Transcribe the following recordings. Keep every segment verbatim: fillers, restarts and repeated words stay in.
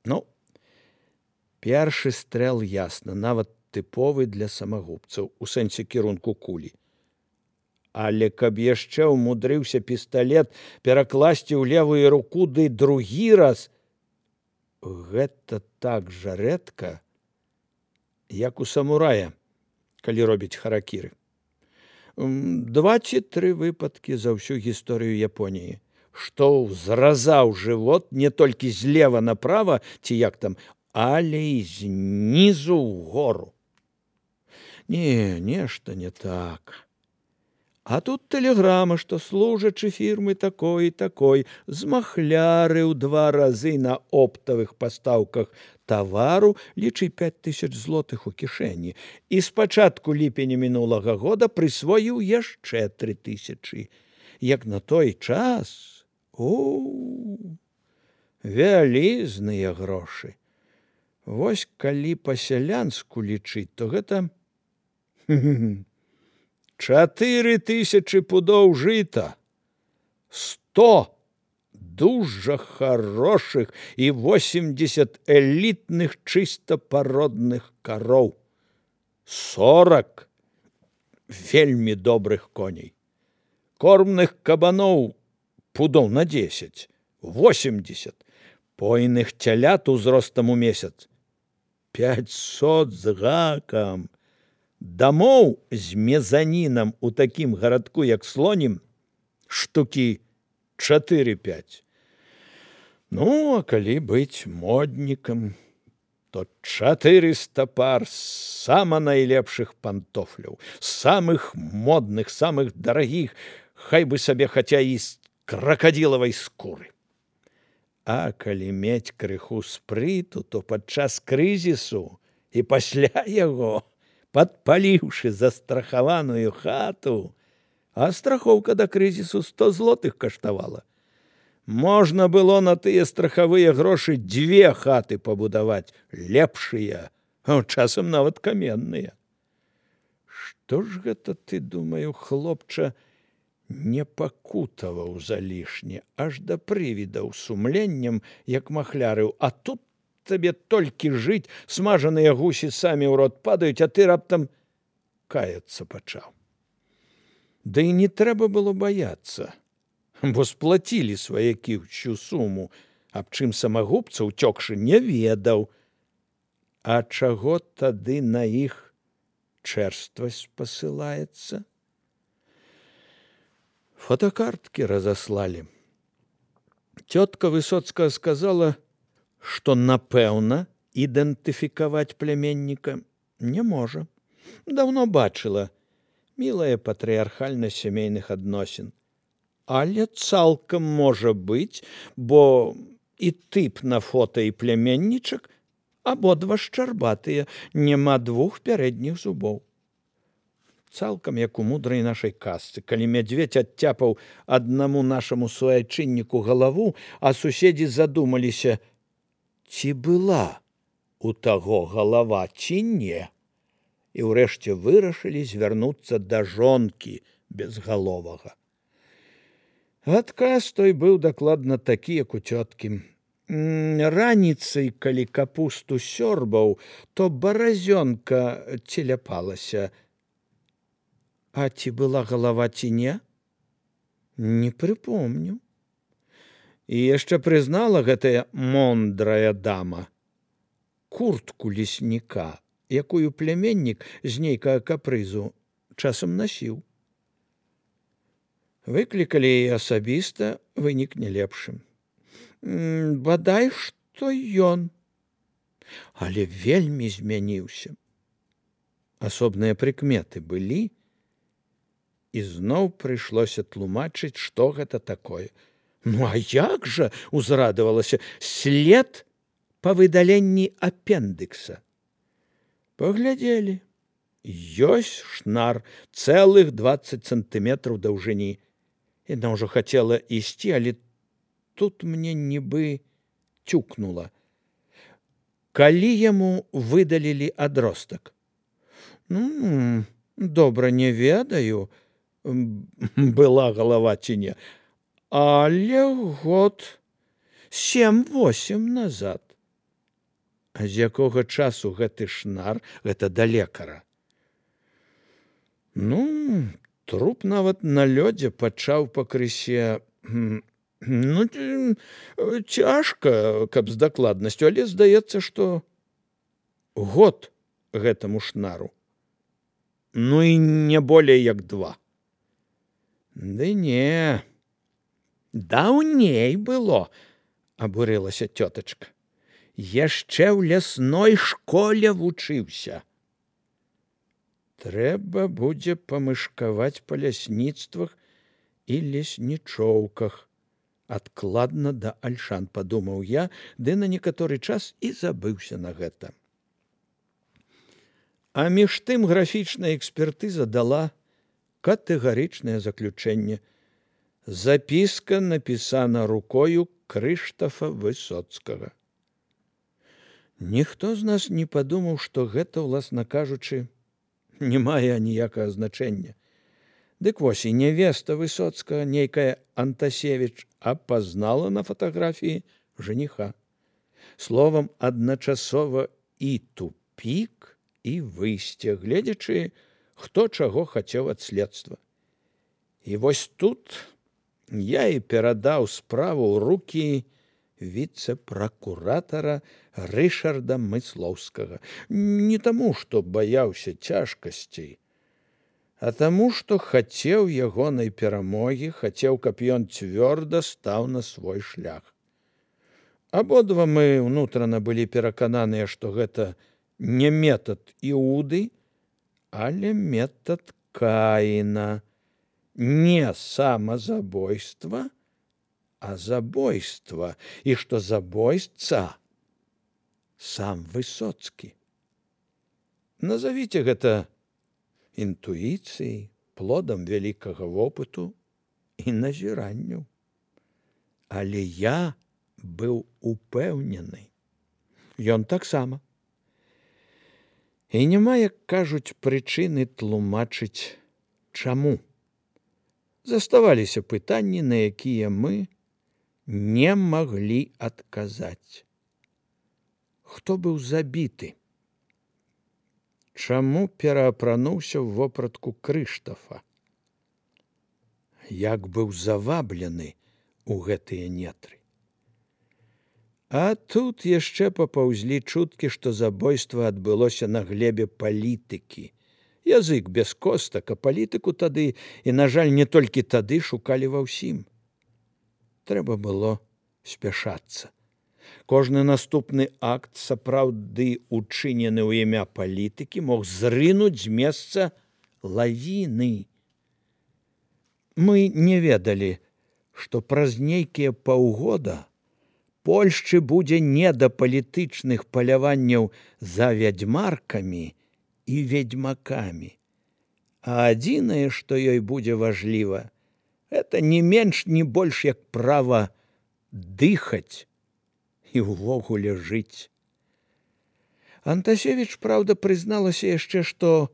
Ну, першы стрэл ясна, нават тыповы для самагубцаў, у сэнсе кірунку кулі. Але каб яшчэ ўмудрыўся пісталет перакласці ў левую руку, ды другі раз, гэта так жа рэдка, як у самурая, калі робіць харакіры. Два ці тры выпадкі за ўсю гісторыю Японіі, што зразаў жывот не толькі злева направа, ці як там, але і знізу ўгору. Не, нешта не так. А тут тэлеграма, што служачы фірмы такой і такой змахлярыў два разы на оптавых пастаўках тавару, лічы пяць тысяч злотых у кішэні, і з пачатку ліпеня мінулага года прысвоіў яшчэ тры тысячы. Як на той час, у вялізныя грошы. Вось калі па-сялянску лічыць, то гэта чатыры тысячы пудоў жыта, сто дужа хорошых і восемьдесят элітных чыста пародных кароў, сорок вельмі добрых коней, кормных кабаноў пудоў на десять, восемьдесят, пойных цялят узростам у месяц, пятьсот з гакам, дамоў з мезанінам у такім гарадку, як Слонім, штукі чатыры-пяць. Ну, а калі быць моднікам, то чатырыста пар сама найлепшых пантофляў, самых модных, самых дарагіх, хай бы сабе хаця і з кракадзілавай скуры. А калі мець крыху спрыту, то падчас крызісу і пасля яго, падпаліўшы застрахаваную хату, а страхоўка да крызісу сто злотых каштавала, можна было на тыя страхавыя грошы дзве хаты пабудаваць, лепшыя, а часам нават каменныя. Што ж гэта ты, думаю, хлопча, не пакутаваў залішне, аж да прывідаў сумленнем, як махлярыў, а тут табе толькі жыць, смажаныя гусі самі ў рот падаюць, а ты раптам каяцца пачаў. Да і не трэба было баяцца, бо сплацілі сваякі ўсю суму, аб чым самагубца, уцёкшы, не ведаў. А чаго тады на іх чэрствасць пасылаецца? Фотокарткі разаслалі. Цётка Высоцкая сказала, што, напэўна, ідэнтыфікаваць пляменніка не можа. Даўно бачыла, мілая патрыархальнасць сямейных адносін. Але цалкам можа быць, бо і тып на фота і пляменнічак абодва шчарбатыя, няма двух пярэдніх зубоў. Цалкам як у мудрай нашай казцы, калі мядзведзь адцяпаў аднаму нашаму суайчынніку галаву, а суседзі задумаліся, ці была у таго галава, ці не, і ўрэшце вырашылі звярнуцца да жонкі безгаловага. Адказ той быў дакладна такі, як у цёткі. Раніцай, калі капусту сёрбаў, то баразёнка целяпалася. А ці была галава, ці не? Не прыпомню. І яшчэ прызнала гэтая мондрая дама куртку лесніка, якую пляменнік з нейкага капрызу часам насіў. Выклікалі яе асабіста, вынік не лепшым. Бадай, што ён, але вельмі змяніўся. Асобныя прыкметы былі, і зноў прыйшлося тлумачыць, што гэта такое. Ну, а як жа, узрадавалася, след па выдаленні апендыкса. Паглядзелі. Ёсць шнар, цэлых дваццаць сантыметраў даўжыні. Яна ўжо хацела ісці, але тут мне нібы цюкнула. Калі яму выдалілі адростак? Ну, добра не ведаю, была галава ці не, але год сем-восем назад. А з якога часу гэты шнар, гэта да лекара? Ну, труп нават на лёдзе пачаў пакрысе, ну, цяжка, каб з дакладнасцю, але здаецца, што год гэтаму шнару. Ну і не болей як два. Ды не, даўней было, абурылася цётачка. Яшчэ ў лясной школе вучыўся. Трэба будзе памышкаваць па лясніцтвах і леснічоўках. Адкладна да Альшан, падумаў я, ды на некаторы час і забыўся на гэта. А між тым графічная экспертыза дала катэгарычнае заключэнне. Запіска напісана рукою Крыштафа Высоцкага. Ніхто з нас не падумаў, што гэта, уласна кажучы, не мае ніякага значэння. Дык вось і нявеста Высоцкага, нейкая Антасевіч, апазнала на фатаграфіі жаніха. Словам, адначасова і тупік, і выйсце, гледзячы, хто чаго хацеў ад следства. І вось тут я і перадаў справу ў рукі віцэ-пракуратара Рышарда Мыслоўскага. Не таму, што баяўся цяжкасцей, а таму, што хацеў ягонай перамогі, хацеў, каб ён цвёрда стаў на свой шлях. Абодва мы ўнутрана былі перакананыя, што гэта не метад Іуды, але метад Каіна. Не самазабойства, а забойства, і што забойца сам Высоцкі. Назавіце гэта інтуіцыяй, плодам вялікага вопыту і назіранню. Але я быў упэўнены. Ён таксама. І няма, як кажуць, прычыны тлумачыць, чаму. Заставаліся пытанні, на якія мы не маглі адказаць. Хто быў забіты? Чаму пераапрануўся ў вопратку Крыштафа? Як быў заваблены ў гэтыя нетры? А тут яшчэ папаўзлі чуткі, што забойства адбылося на глебе палітыкі. Язык без костак, а палітыку тады, і, на жаль, не толькі тады, шукалі ва ўсім. Трэба было спяшацца. Кожны наступны акт, сапраўды учынены ў імя палітыкі, мог зрынуць з месца лавіны. Мы не ведалі, што праз нейкія паўгода Польшчы будзе не да палітычных паляванняў за вядзьмаркамі і ведьмакамі. А адзінае, што ёй будзе важліва, гэта не менш, не больш, як права дыхаць і ўвогуле жыць. Антасевіч, праўда, прызналася яшчэ, што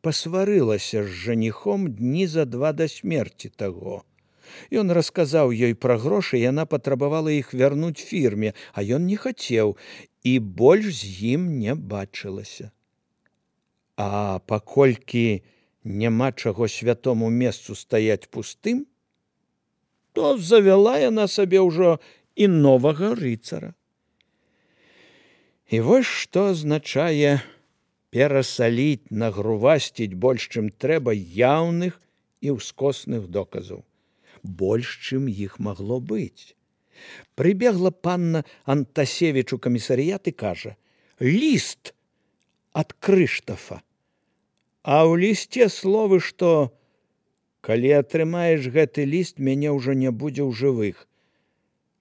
пасварылася з жаніхом дні за два да смерці таго. Ён расказаў ёй пра грошы, яна патрабавала іх вярнуць фірме, а ён не хацеў і больш з ім не бачылася. А паколькі няма чаго святому месцу стаяць пустым, то завяла яна сабе ўжо і новага рыцара. І вось што азначае перасаліць, нагрувасціць больш, чым трэба, яўных і ўскосных доказаў. Больш, чым іх магло быць. Прыбегла панна Антасевіч у камісарыят і кажа: «Ліст ад Крыштафа». А ў лісце словы, што «Калі атрымаеш гэты ліст, мяне ўжо не будзе ў жывых.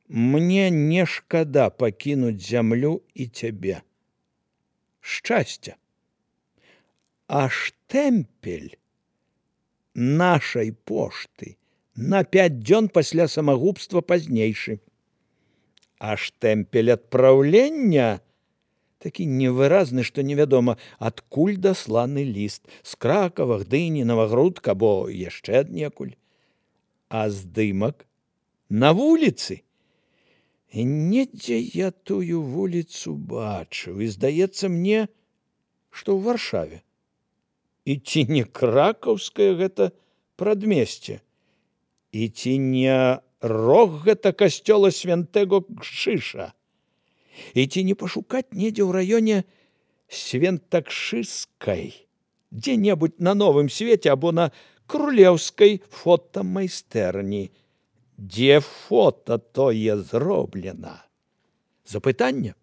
Мне не шкада пакінуць зямлю і цябе. Шчасця». А штэмпель нашай пошты на пяць дзён пасля самагубства пазнейшы. А штэмпель адпраўлення такі невыразны, што невядома, адкуль дасланы ліст, з Кракава, Гдыні, Навагрудка, або яшчэ аднекуль. А здымак на вуліцы. І недзе я тую вуліцу бачыў, і здаецца мне, што ў Варшаве. І ці не кракаўскае гэта прадмесце? І ці не рог гэта касцёла святого Кшыша? І ці не пашукаць недзе ў раёне Свентакшыскай, дзе-небудзь на Новым Свеце або на Крулеўскай фотамайстэрні, дзе фота тое зроблена? Запытанне?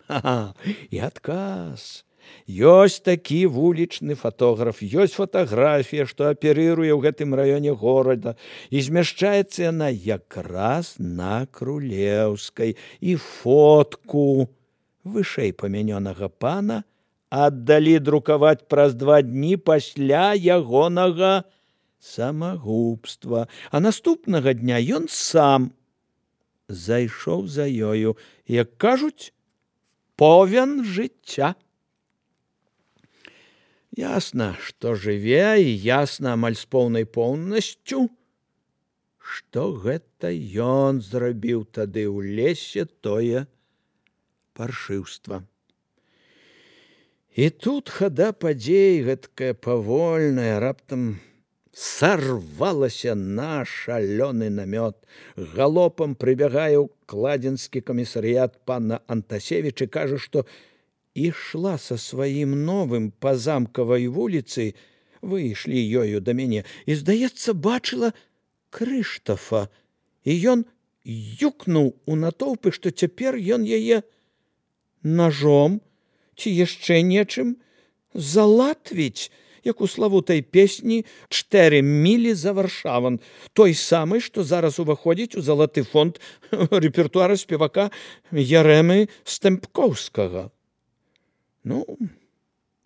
Ха-ха, і адказ. Ёсць такі вулічны фотограф, ёсць фатаграфія, што аперыруе ў гэтым раёне горада, і змяшчаецца яна якраз на Крулеўскай, і фотку вышэй памянёнага пана аддалі друкаваць праз два дні пасля ягонага самагубства, а наступнага дня ён сам зайшоў за ёю, як кажуць, повен жыцця. Ясна, што жыве, і ясна амаль з поўнай поўнасцю, што гэта ён зрабіў тады ў лесе тое паршыўства. І тут хада падзей гэткая павольная раптам сарвалася на шалёны намёт. Галопам прыбягае ў кладзенскі камісарыят пана Антасевіч і кажа, што ішла са сваім новым па замкавай вуліцы, выйшлі ёю да мяне, і, здаецца, бачыла Крыштафа, і ён юкнуў у натоўпы, што цяпер ён яе ножом ці яшчэ нечым залатвіць, як у славутай песні «Чтэры мілі за Варшаван», той самы, што зараз уваходзіць у залаты фонд рэпертуара спевака Ярэмы Стэмпкоўскага. Ну,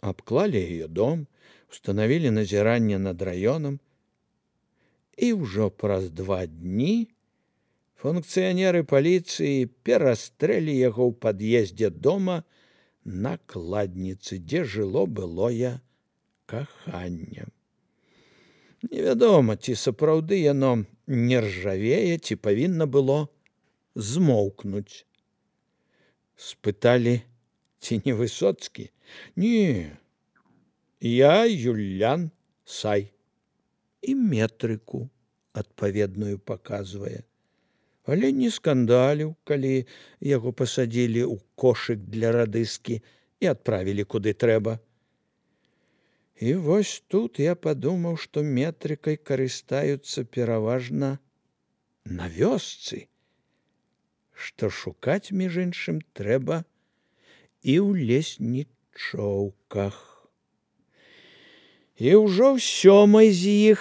абклалі яе дом, устанавілі назіранне над раёнам, і ўжо праз два дні функцыянеры паліцыі перастрэлі яго ў пад'ездзе дома на Кладніцы, дзе жыло былое каханне. Невядома, ці сапраўды яно не ржавее, ці павінна было змоўкнуць. Спыталі, ці не Высоцкі? Не, я Юлян Сай. І метрыку адпаведную паказвае. Але не скандаліў, калі яго пасадзілі ў кошык для радыскі і адправілі куды трэба. І вось тут я падумаў, што метрыкай карыстаюцца пераважна на вёсцы, што шукаць, між іншым, трэба і ў леснічоўках. І ўжо ў сёмай з іх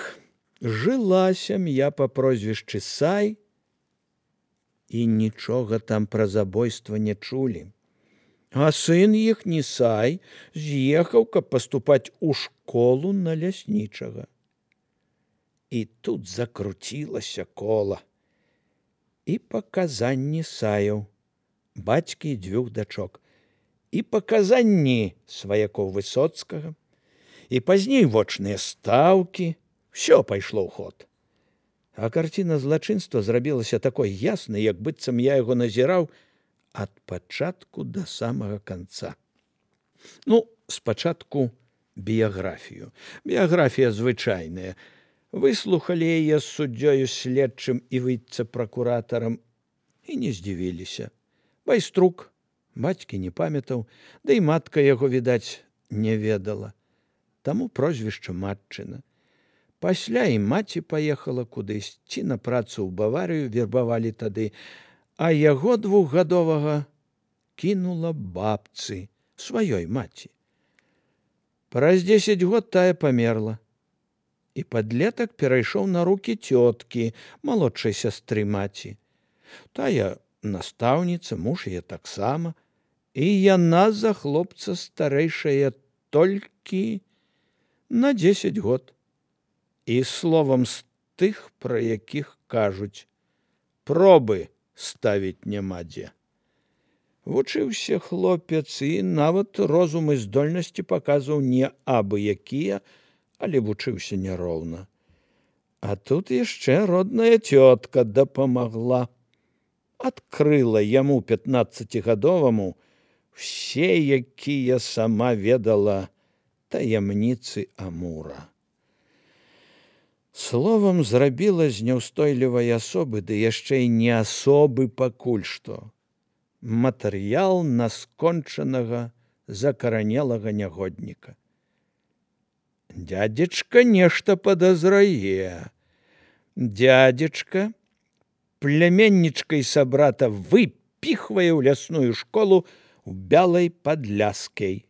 жыла сям'я па прозвішчы Сай, і нічога там пра забойства не чулі. А сын іхні Сай з'ехаў, каб паступаць у школу на ляснічага. І тут закруцілася кола. І паказанні Саяў, бацькі і дзвюх дачок, і паказанні сваякоў Высоцкага, і пазней вочныя стаўкі, ўсё пайшло ў ход. А карціна злачынства зрабілася такой яснай, як быццам я яго назіраў ад пачатку да самага канца. Ну, спачатку біяграфію. Біяграфія звычайная. Выслухалі яе з суддзёю следчым і віцэ-пракуратарам і не здзівіліся. Байструк бацькі не памятаў, да і матка яго, відаць, не ведала. Таму прозвішча матчына. Пасля і маці паехала кудысь, ці на працу ў Баварыю вербавалі тады, а яго двухгадовага кінула бабцы, сваёй маці. Праз дзесяць год тая памерла, і падлетак перайшоў на рукі цёткі, малодшай сястры маці. Тая настаўніца, муж яе таксама, і яна за хлопца старэйшая толькі на дзесяць год. І словам з тых, пра якіх кажуць, пробы ставіць няма дзе. Вучыўся хлопец і нават розум і здольнасці паказваў не абы якія, але вучыўся няроўна. А тут яшчэ родная цётка дапамагла. адкрыла яму пятнаццацігадоваму все, якія сама ведала таямніцы Амура. Словам, зрабіла з няўстойлівай асобы, ды яшчэ й не асобы пакуль што, матэрыял наскончанага закаранелага нягодніка. Дядзечка нешта падазрае. Дядзечка племяннічкай сабрата выпіхвае ў лясную школу ў бялай падляскай.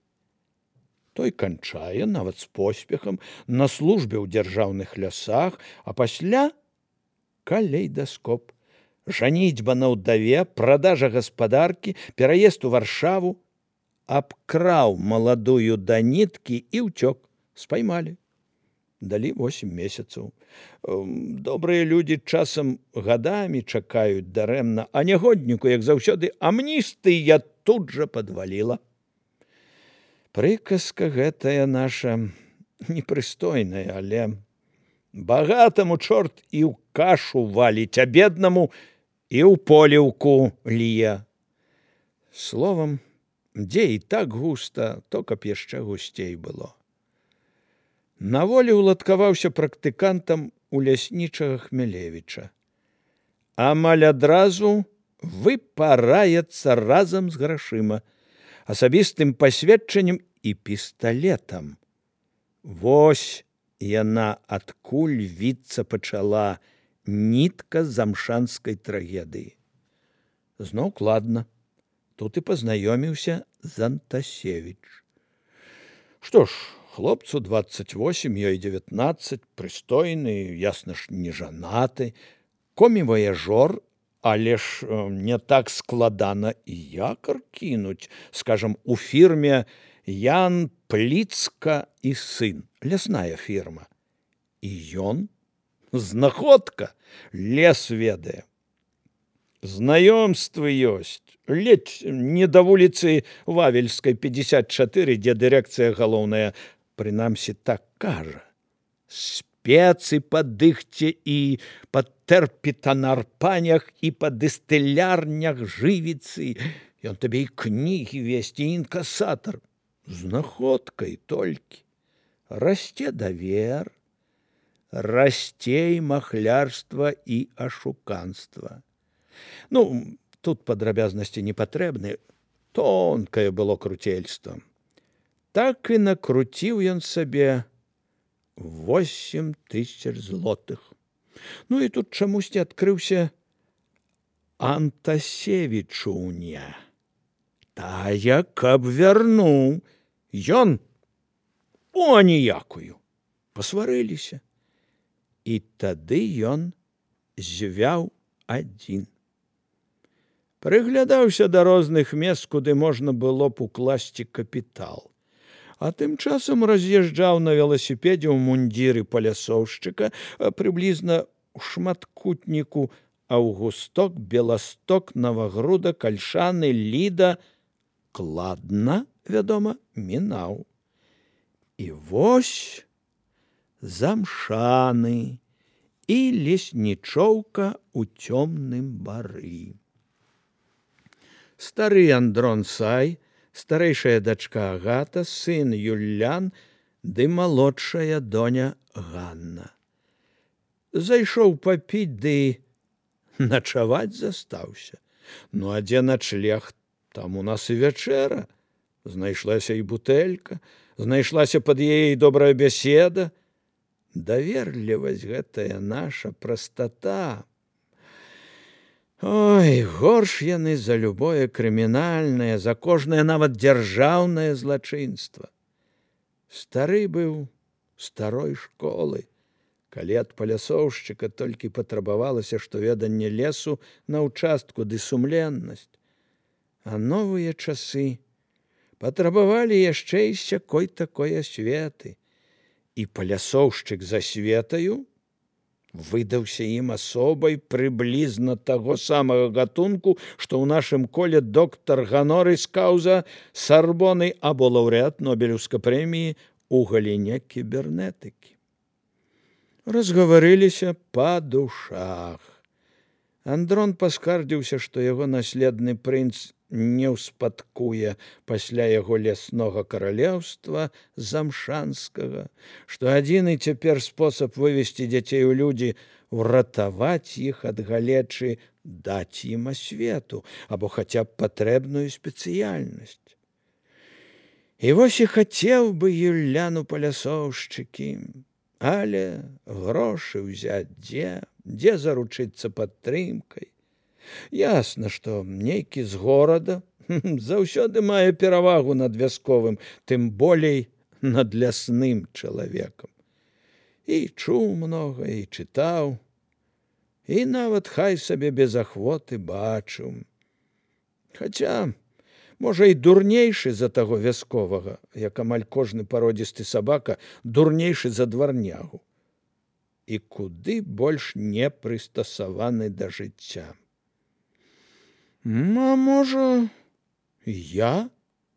Той канчае, нават з поспехам, на службе ў дзяржаўных лясах, а пасля калейдаскоп. Жаніцьба на ўдаве, прадажа гаспадаркі, пераезд у Варшаву. Абкраў маладую да ніткі і ўцёк. Спаймалі. Далі восем месяцаў. Добрыя людзі часам гадамі чакаюць дарэмна, а нягодніку, як заўсёды, амністыя тут жа падваліла. Прыказка гэтая наша непрыстойная, але багатаму чорт і ў кашу валіць, а беднаму і ў поліўку лье. Словам, дзе і так густа, то каб яшчэ гусцей было. На волі ўладкаваўся практыкантам у ляснічага Хмелевіча. Амаль адразу выпараецца разам з грашыма, асабістым пасведчаннем і пісталетам. Вось яна адкуль віцца пачала нітка замшанскай трагедыі. Зноў кладна. Тут і пазнаёміўся з Антасевіч. Што ж, хлопцу дваццаць восем, ёй дзевятнаццаць, прыстойны, ясна ж, не жанаты, комі-ваяжор, але ж не так складана і якар кінуць, скажам, у фірме Ян Пліцка і сын, лясная фірма. І ён, знаходка, лес ведае. Знаёмствы ёсць, ледзь не да вуліцы Вавельскай, пятьдесят чатыры, дзе дырэкцыя галоўная, прынамсі так кажа. Спецы па дыхце і па тэрпітанарпанях і па дыстылярнях жывіцы. Ён табе і кнігі весці, і інкасатар. Знаходкай толькі. Расце давер, расце і махлярства і ашуканства. Ну, тут падрабязнасці не патрэбны. Тонкае было круцельства. Так і накруціў ён сабе восемь тысяч злотых. Ну і тут чамусьці адкрыўся Антасевічуня. Тая, каб вярнуў. Ён о ніякую. Пасварыліся. І тады ён звяў адзін. Прыглядаўся да розных мест, куды можна было б укласці капітал. А тым часам раз'язджаў на веласіпедзе ў мундзіры палясоўшчыка, прыблізна ў шматкутніку Аўгусток, Беласток, Навагруда, Кальшаны, Ліда, кладна, вядома, мінаў. І вось замшаны і леснічоўка ў цёмным бары. Стары Андрон Сай, старэйшая дачка Агата, сын Юллян ды малодшая доня Ганна. Зайшоў папіць, ды начаваць застаўся. Ну, а дзе начлег? Там у нас і вячэра. Знайшлася і бутэлька, знайшлася пад яе добрая бяседа. Даверлівасць гэтая наша, прастата. Ой, горш яны за любое крымінальнае, за кожнае нават дзяржаўнае злачынства. Стары быў старой школы. Калі ад палясоўшчыка толькі патрабавалася, што веданне лесу на ўчастку ды сумленнасць. А новыя часы патрабавалі яшчэ і сякой такой асветы. І палясоўшчык за светаю выдаўся ім асобай прыблізна таго самага гатунку, што ў нашым коле доктар ганорыс каўза Сарбоны або лаўрэат Нобелеўскай прэміі ў галіне кібернетыкі. Разгаварыліся па душах. Андрон паскардзіўся, што яго наследны прынц не ўспадкуе пасля яго ляснога каралеўства замшанскага, што адзіны цяпер спосаб вывесці дзяцей у людзі уратаваць іх ад галечы, даць ім асвету або хаця б патрэбную спецыяльнасць. І вось і хацеў бы Юлян у палясоўшчыкі, але грошы ўзяць дзе, дзе заручыцца падтрымкай. Ясна, што нейкі з горада заўсёды мае перавагу над вясковым, тым болей над лясным чалавекам. І чуў многа, і чытаў, і нават хай сабе без ахвоты бачыў. Хаця, можа, і дурнейшы за таго вясковага, як амаль кожны пародзісты сабака, дурнейшы за дварнягу. І куды больш не прыстасаваны да жыцця. А можа, я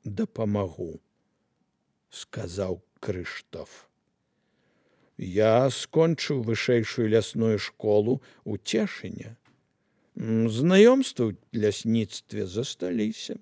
дапамагу, сказаў Крыштоф. Я скончыў вышэйшую лясную школу ў Цешыне. Знаёмствы ў лясніцтве засталіся.